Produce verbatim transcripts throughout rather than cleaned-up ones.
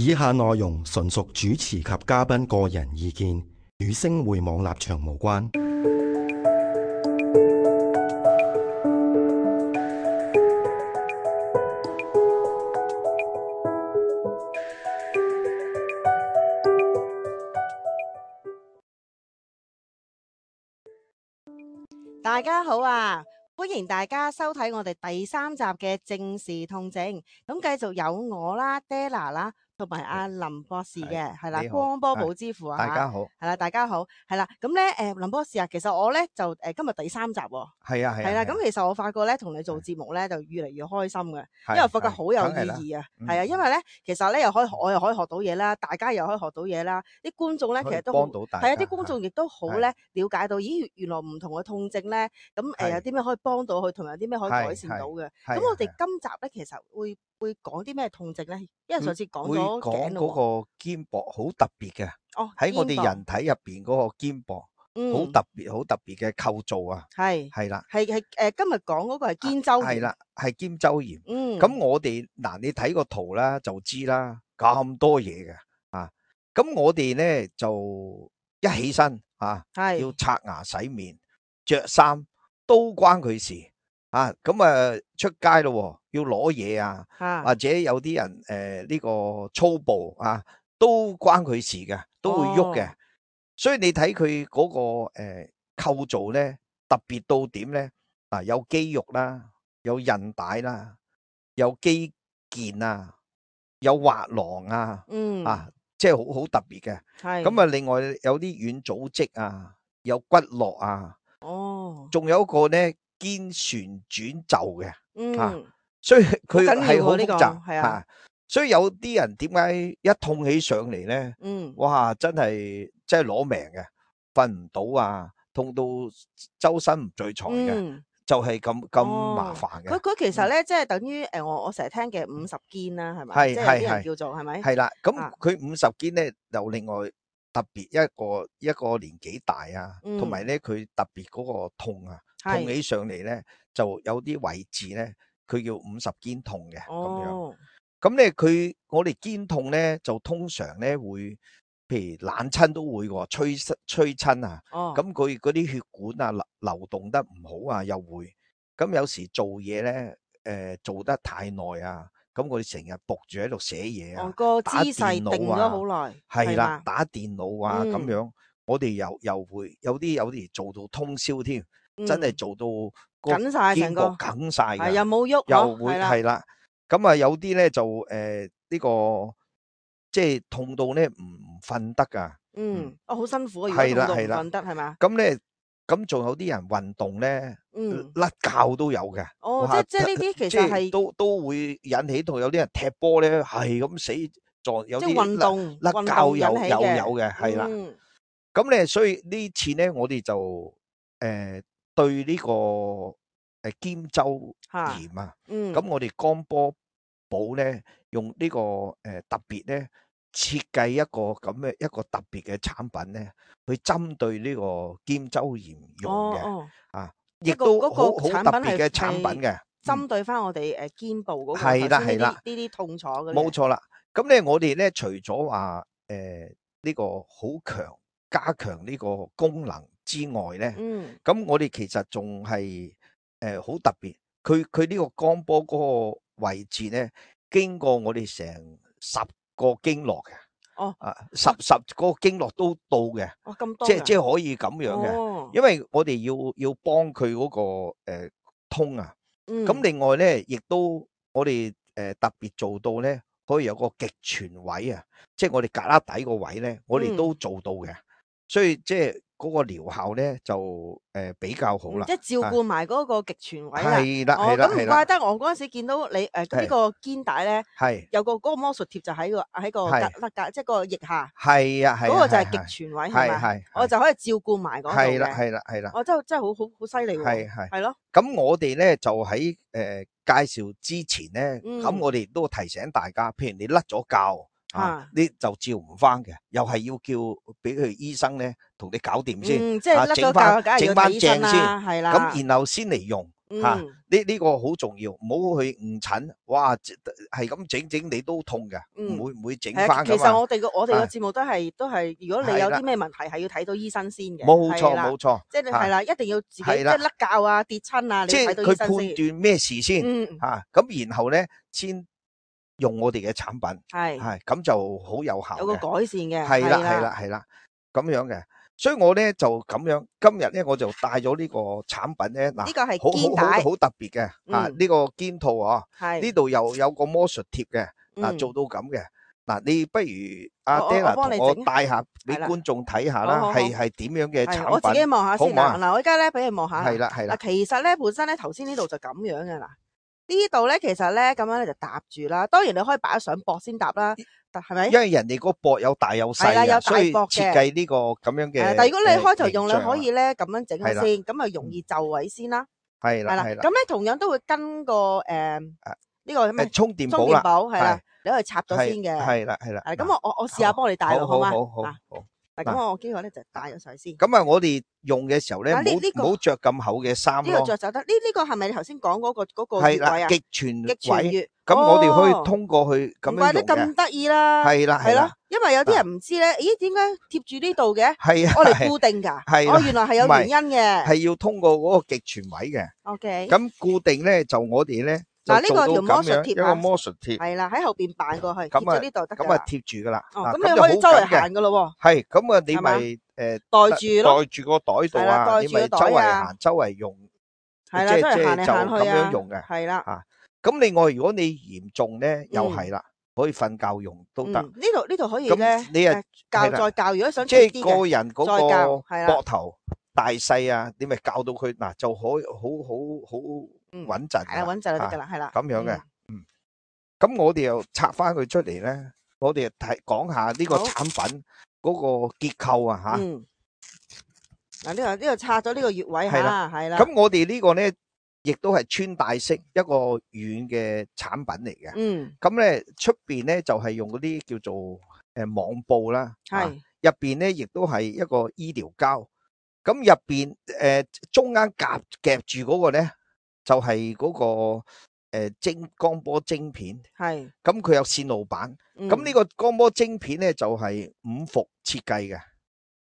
以下內容純屬主持及嘉賓個人意見，與星匯網立場無關。大家好啊！歡迎大家收睇我哋第三集嘅正視痛症。咁繼續有我啦 ，Della 啦，同埋阿林博士嘅，係啦，光波寶之父啊，大家好，係啦，大家好，係啦。咁咧，誒，林博士啊，其實我咧就誒今日第三集喎，係啊係係啦。咁其實我發覺咧，同你做節目咧就越嚟越開心嘅，因為我發覺好有意義啊，係啊，因為咧其實咧又可以我又可以學到嘢啦，大家又可以學到嘢啦，啲觀眾咧其實都好係啊，啲觀眾亦都好咧了解到，咦，原來唔同嘅痛症咧，咁誒有啲咩可以幫到佢，同埋有啲咩可以改善到嘅。咁我哋今集咧其實會會講啲咩痛症咧？因為上次講咗頸咯，嗰個肩膊好特別嘅，哦，喺我哋人體入邊嗰個肩膊，好特別好特別嘅構造啊，係係啦，係係誒，今日講嗰個係肩周炎，係啦，係肩周炎。嗯，咁我哋嗱，你睇個圖啦就知啦，咁多嘢嘅啊。咁我哋咧就一起身啊，要刷牙洗面、着衫都關佢事。啊，咁啊出街咯，要攞嘢啊，或者有啲人誒呢個粗暴啊，都關佢事嘅，都會喐嘅。所以你睇佢嗰個誒構造咧，特別到點咧？啊，有肌肉啦，有韌帶啦，有肌腱啊，有滑囊啊，嗯，啊，即係好好特別嘅。係咁啊，另外有啲軟組織啊，有骨骼啊，哦，仲有一個咧。肩旋轉袖嘅，嗯，啊，所以佢係好複雜，係啊，所以有啲人點解一痛起上嚟咧，嗯，哇，真係真係攞命嘅，瞓唔到啊，痛到周身唔聚財嘅，嗯，就係咁咁麻煩嘅。佢佢其實咧，即係等於誒，我我成日聽嘅五十肩啦，係咪？係即係有啲人叫做係咪？係啦，咁佢五十肩咧，又另外特別一個一個年紀大啊，同埋咧佢特別嗰個痛啊。痛起上嚟咧，就有啲位置咧，佢叫五十肩痛嘅咁、哦、樣。咁咧，佢我哋肩痛咧，就通常咧會，譬如冷親都會喎，吹吹親啊。咁佢嗰啲血管啊流流動得唔好啊，又會。咁有時做嘢咧，誒、呃、做得太耐啊，咁我哋成日伏住喺度寫嘢啊，個姿打電腦啊，勢定咗好耐。係啦，打電腦啊咁、嗯、樣，我哋又又會有啲有啲做到通宵添。真係做到緊晒成個緊晒嘅，又冇喐，又會係啦。咁啊，有啲咧就誒呢、呃這個即係痛到咧唔瞓得噶。嗯，哦好辛苦啊，如果痛到唔瞓得係嘛？咁咧，咁仲有啲人運動咧，嗯，甩臼都有嘅。哦，即即係呢啲其實係都都會引起到有啲人踢波咧係咁死撞，有啲運動甩臼有有有嘅，係啦。咁咧，所以呢次咧，我哋就誒。呃對呢個誒肩周炎啊，咁、嗯、我哋光波寶咧用呢個誒特別咧設計一個咁嘅一個特別嘅產品咧，去針對呢個肩周炎用嘅、哦哦、啊，亦都好好特別嘅產品嘅，針對翻我哋誒肩部嗰個係啦係啦呢啲痛楚嘅，冇錯啦。咁咧我哋咧除咗話誒呢個好強加強呢個功能之外咧，咁、嗯、我哋其實仲係誒好特別，佢佢呢個光波嗰個位置咧，經過我哋成十個經絡嘅，哦，啊十十個經絡都到嘅，哦咁多，即係即係可以咁樣嘅、哦，因為我哋要要幫佢嗰、那個誒、呃、通啊，咁、嗯、另外咧亦都我哋誒、呃、特別做到咧，可以有個極泉位啊，即係我哋胳肋底個位咧，我哋都做到嘅。嗯所以即係嗰個療效咧就誒、呃、比較好啦，即係照顧埋嗰個極泉位啦。係啦，係啦，咁唔怪得我嗰陣時見到你誒呢、呃這個肩帶咧，係有個嗰個魔術貼就喺個喺個格甩格，即係個腋下。係啊，係嗰、那個就係極泉位係嘛？係，我就可以照顧埋嗰度嘅。係啦，係啦，係啦。我真係真係好好好犀利喎。係係係咯。咁我哋咧就喺誒、呃、介紹之前咧，咁、嗯、我哋都提醒大家，譬如你甩咗臼。啊！你就照唔翻嘅，又係要叫俾佢醫生咧同你搞掂先，嗯，即係甩咗臼，整翻正先，係啦。咁然後先嚟用，吓，呢呢個好重要，唔好去誤診。哇，係咁整整你都痛嘅，唔會唔會整翻。其實我哋個我哋個節目都係都係，如果你有啲咩問題，係要睇到醫生先嘅。冇錯冇錯，即係係啦，一定要自己即係甩臼啊、跌親啊，你睇到醫生先。即係佢判斷咩事先吓，咁然後咧先用我哋嘅產品，係係咁就好有效，有個改善嘅。係啦係啦係啦，咁樣嘅。所以我咧就咁樣，今日咧我就帶咗呢個產品咧，嗱，呢個係肩帶，好好好特別嘅，啊，呢個肩套啊，呢度又有個魔術貼嘅，嗱，做到咁嘅，嗱，你不如阿 Dana 同我帶下俾觀眾睇下啦，係係點樣嘅產品，我自己望下先啦，嗱，我而家咧俾你望下，係啦係啦，嗱，其實咧本身咧頭先呢度就咁樣嘅，嗱，呢度咧其實咧咁樣咧就搭住啦，當然你可以擺上膊先搭啦。係咪？因為人哋個膊有大有細嘅，所以設計呢個咁樣嘅。但係如果你開頭用，你可以咧咁樣整先，咁啊容易就位先啦。係啦，係啦。咁咧同樣都會跟個誒呢個咩充電寶啦，係啦，你可以插咗先嘅。係啦，係啦。咁我我我試下幫你戴咯，好嘛？好好好。嗱，咁我呢個咧就戴咗上先。咁啊，我哋用嘅時候咧，唔好唔好着咁厚嘅衫咯。呢個着就得。呢呢個係咪你頭先講嗰個嗰個係啦，極全位。咁我哋可以通過去咁樣用嘅。唔怪得咁得意啦。係啦，係啦。因為有啲人唔知咧，咦？點解貼住呢度嘅？係啊，我嚟固定噶。係。哦，原來係有原因嘅。係要通過嗰個極全位嘅。OK。咁固定咧，就我哋咧。嗱，呢個條魔術貼，一個魔術貼係啦，喺後邊扮過去，貼咗呢度得噶啦。咁啊貼住噶啦。哦，咁你可以周圍行噶咯。係，咁啊你咪誒袋住咯，袋住個袋度啊，你咪周圍行，周圍用。係啦，周圍行嚟行去啊。咁樣用嘅。係啦。啊，咁另外如果你嚴重咧，又係啦，可以瞓覺用都得。呢度呢度可以咧。你啊教再教，如果想即係個人嗰個係膊頭大細啊，你咪教到佢嗱就可以好好好穩陣。係啦，穩陣就得噶啦，係啦。咁樣嘅。咁我哋又拆翻佢出嚟咧，我哋睇講下呢個產品嗰個結構啊吓。嗯。嗱，呢個呢個拆咗呢個穴位吓，係啦。咁我哋呢個咧，亦都係穿戴式一個軟嘅產品嚟嘅。嗯。咁咧出邊咧就係用嗰啲叫做誒網布啦。係。入邊咧亦都係一個醫療膠。咁入邊誒中間夾夾住嗰個咧，就係嗰個。誒，晶光波晶片係，咁佢有線路板，咁呢個光波晶片咧就係五伏設計嘅。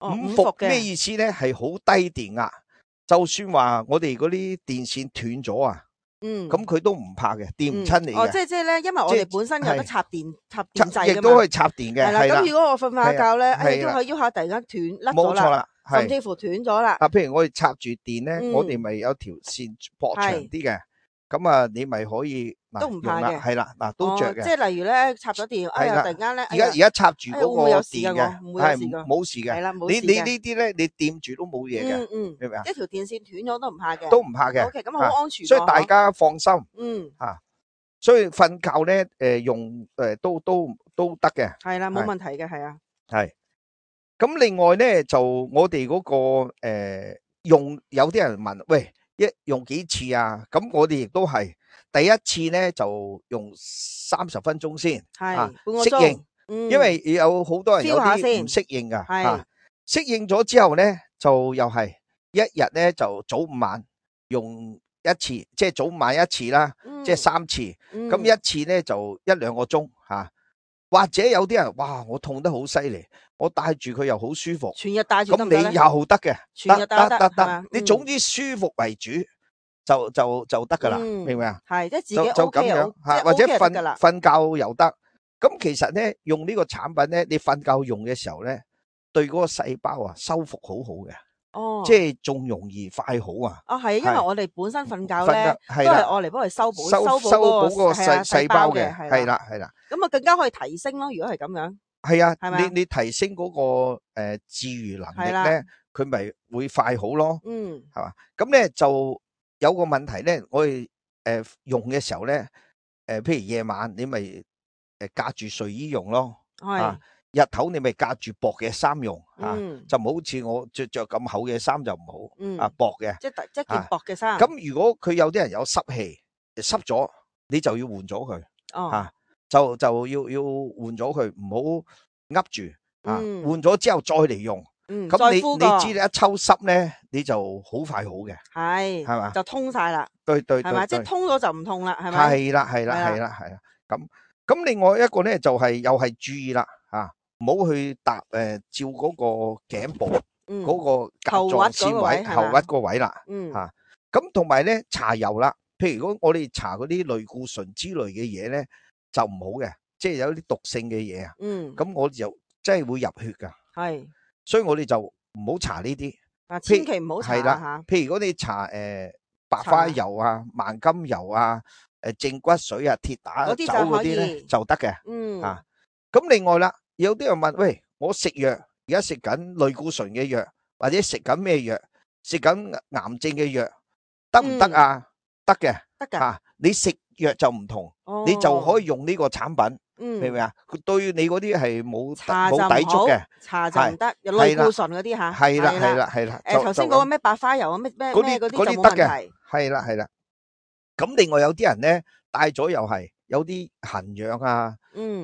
五伏咩意思咧？係好低電壓，就算話我哋嗰啲電線斷咗啊，嗯，咁佢都唔怕嘅，電唔親你嘅。哦，即係即係咧，因為我哋本身有得插電插電掣噶嘛，亦都可以插電嘅。係啦，咁如果我瞓下覺咧，哎呀，喐下喐下突然間斷甩咗啦，甚至乎斷咗啦。啊，譬如我哋插住電咧，我哋咪有條線駁長啲嘅。咁啊，你咪可以都唔怕嘅，係啦，嗱都着嘅。即係例如咧，插咗電，哎呀，突然間咧，而家而家插住嗰個電嘅，係冇事嘅。係啦，冇事嘅。你你呢啲咧，你掂住都冇嘢嘅。嗯嗯，明唔明啊？一條電線斷咗都唔怕嘅，都唔怕嘅。O K，咁好安全。所以大家放心。嗯。吓，所以瞓覺咧，誒用誒都都都得嘅。係啦，冇問題嘅，係啊。係。咁另外咧，就我哋嗰個誒用，有啲人問，喂。一用幾次啊？咁我哋亦都係第一次咧，就用三十分鐘先，係啊半個適應，嗯、因為有好多人有啲唔適應噶，係適應咗之後咧，就又係一日咧就早午晚用一次，即係早午晚一次啦，嗯、即係三次，咁、嗯、一次咧就一兩個鐘吓。啊或者有啲人哇，我痛得好犀利，我戴住佢又好舒服，全日戴住得唔得咧？咁你又得嘅，全日戴得得得，你總之舒服為主就就就得噶啦，明唔明啊？係即係自己就咁樣吓，或者瞓瞓覺又得。咁其實咧用呢個產品咧，你瞓覺用嘅時候咧，對嗰個細胞啊修復好好嘅。哦，即係仲容易快好啊！啊係，因為我哋本身瞓覺咧都係愛嚟幫佢修補修補嗰個細細胞嘅，係啦係啦。咁啊更加可以提升咯，如果係咁樣。係啊，你你提升嗰個誒治癒能力咧，佢咪會快好咯。嗯，係嘛？咁咧就有個問題咧，我哋誒用嘅時候咧，誒譬如夜晚你咪誒隔住睡衣用咯。係。日頭你咪隔住薄嘅衫用，吓就唔好似我着着咁厚嘅衫就唔好，啊薄嘅，即係即係件薄嘅衫。咁如果佢有啲人有濕氣，濕咗你就要換咗佢，吓就就要要換咗佢，唔好噏住，啊換咗之後再嚟用，嗯，咁你你知你一抽濕咧，你就好快好嘅，係係嘛，就通晒啦，對對對，係嘛，即係通咗就唔痛啦，係咪？係啦係啦係啦係啦，咁咁另外一個咧就係又係注意啦吓，唔好去搭誒照嗰個頸部嗰個甲狀腺位後屈個位啦，吓，咁同埋咧搽油啦，譬如如果我哋搽嗰啲類固醇之類嘅嘢咧，就唔好嘅，即係有啲毒性嘅嘢啊，咁我就真係會入血噶，係。所以我哋就唔好搽呢啲，啊，千祈唔好搽吓。譬如如果你搽誒白花油啊、萬金油啊、誒正骨水啊、鐵打酒嗰啲咧就得嘅。嗯。啊，咁另外啦，有啲人問，喂，我食藥而家食緊類固醇嘅藥，或者食緊咩藥？食緊癌症嘅藥得唔得啊？得嘅，得㗎。吓，你食藥就唔同，你就可以用呢個產品。明唔明啊？佢對你嗰啲係冇冇抵觸嘅，搽就唔得，有類固醇嗰啲吓。係啦係啦係啦。誒，頭先嗰個咩白花油啊，咩咩咩嗰啲就冇問題。係啦係啦。咁另外有啲人咧戴咗又係有啲痕癢啊，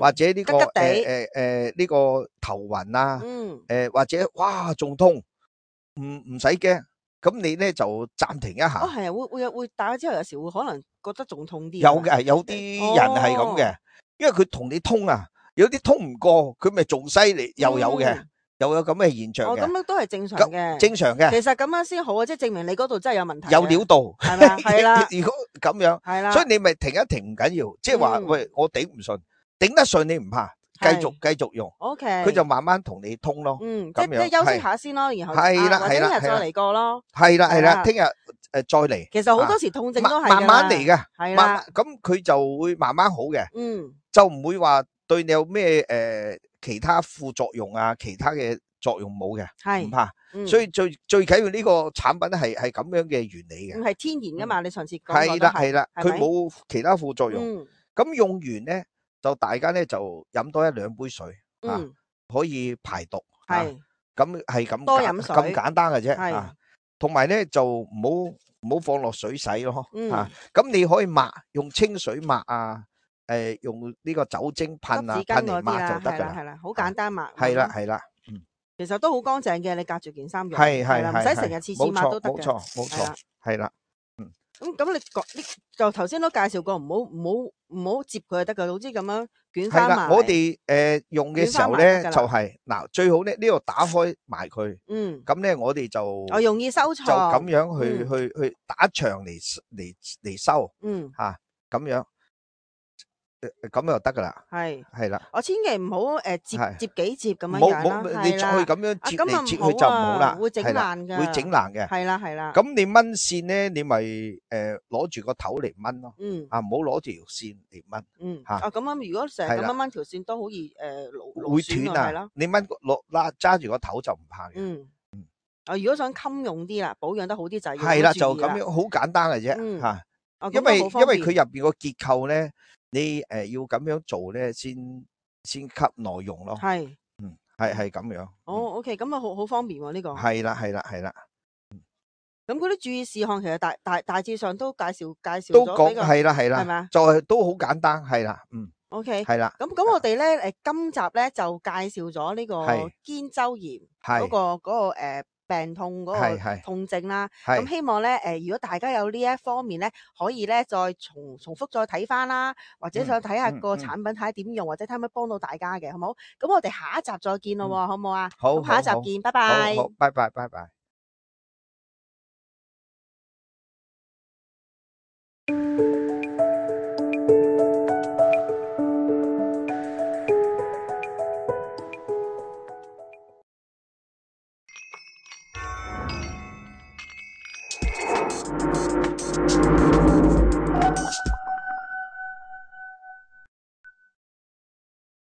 或者呢個誒誒誒呢個頭暈啊，誒或者哇仲痛，唔唔使驚。咁你咧就暫停一下。哦，係啊，會會有會戴咗之後，有時會可能覺得仲痛啲。有嘅，有啲人係咁嘅。因為佢同你通啊，有啲通唔過，佢咪仲犀利，又有嘅，嗯、又有咁嘅現象嘅。哦，咁樣都係正常嘅，正常嘅。其實咁樣先好啊，即係證明你嗰度真係有問題。有料到，係咪？係啦。如果咁樣，係啦，所以你咪停一停唔緊要，即係話喂，我頂唔順，頂得順你唔怕，繼續繼續用。O K。佢就慢慢同你通咯。嗯，即係休息下先咯，然後係啦，或者聽日再嚟過咯。係啦係啦，聽日。誒，再嚟，其實好多時痛症都係慢慢嚟嘅，係啦，咁佢就會慢慢好嘅，嗯，就唔會話對你有咩誒其他副作用啊，其他嘅作用冇嘅，係唔怕，所以最最緊要呢個產品係係咁樣嘅原理嘅，係天然噶嘛，你上次講係啦係啦，佢冇其他副作用，咁用完咧就大家咧就飲多一兩杯水，啊，可以排毒，係，咁係咁多飲水咁簡單嘅啫，啊。同埋咧就唔好唔好放落水洗咯，吓，咁你可以抹，用清水抹啊，誒用呢個酒精噴啊噴嚟抹就得噶啦，係啦，好簡單抹，係啦係啦，嗯，其實都好乾淨嘅，你隔住件衫用，係係係，唔使成日次次抹都得嘅，冇錯冇錯，係啦，嗯，咁咁你講呢就頭先都介紹過，唔好唔好唔好接佢就得噶，總之咁樣捲翻埋。我哋誒用嘅時候咧就係嗱最好咧呢度打開埋佢，嗯，咁咧我哋就我容易收藏，就咁樣去去去打長嚟嚟嚟收，嗯吓咁樣，咁就得噶啦，係係啦，我千祈唔好誒接接幾接咁樣樣啦，你再咁樣接嚟接去就唔好啦，會整爛噶，會整爛嘅，係啦係啦。咁你掹線咧，你咪誒攞住個頭嚟掹咯，嗯啊唔好攞條線嚟掹，嗯吓。啊咁樣如果成日咁樣掹條線都好易誒會斷啊，係啦。你掹攞拉揸住個頭就唔怕嘅，嗯嗯。啊如果想襟用啲啦，保養得好啲就要係啦，就咁樣好簡單嘅啫吓。因為因為佢入邊個結構咧。你誒要咁樣做咧，先先吸內容咯。係，嗯，係係咁樣。哦 ，OK，咁啊好好方便喎呢個。係啦係啦係啦。咁嗰啲注意事項其實大大大致上都介紹介紹都講係啦係啦，係咪啊？就係都好簡單係啦，嗯。OK，係啦。咁咁我哋咧誒今集咧就介紹咗呢個肩周炎嗰個嗰個誒。病痛嗰個痛症啦，咁希望咧誒，如果大家有呢一方面咧，可以咧再重重複再睇翻啦，或者想睇下個產品睇下點用，或者睇下可唔可以幫到大家嘅，好唔好？咁我哋下一集再見咯，好唔好啊？好，下一集見，拜拜。好，拜拜，拜拜。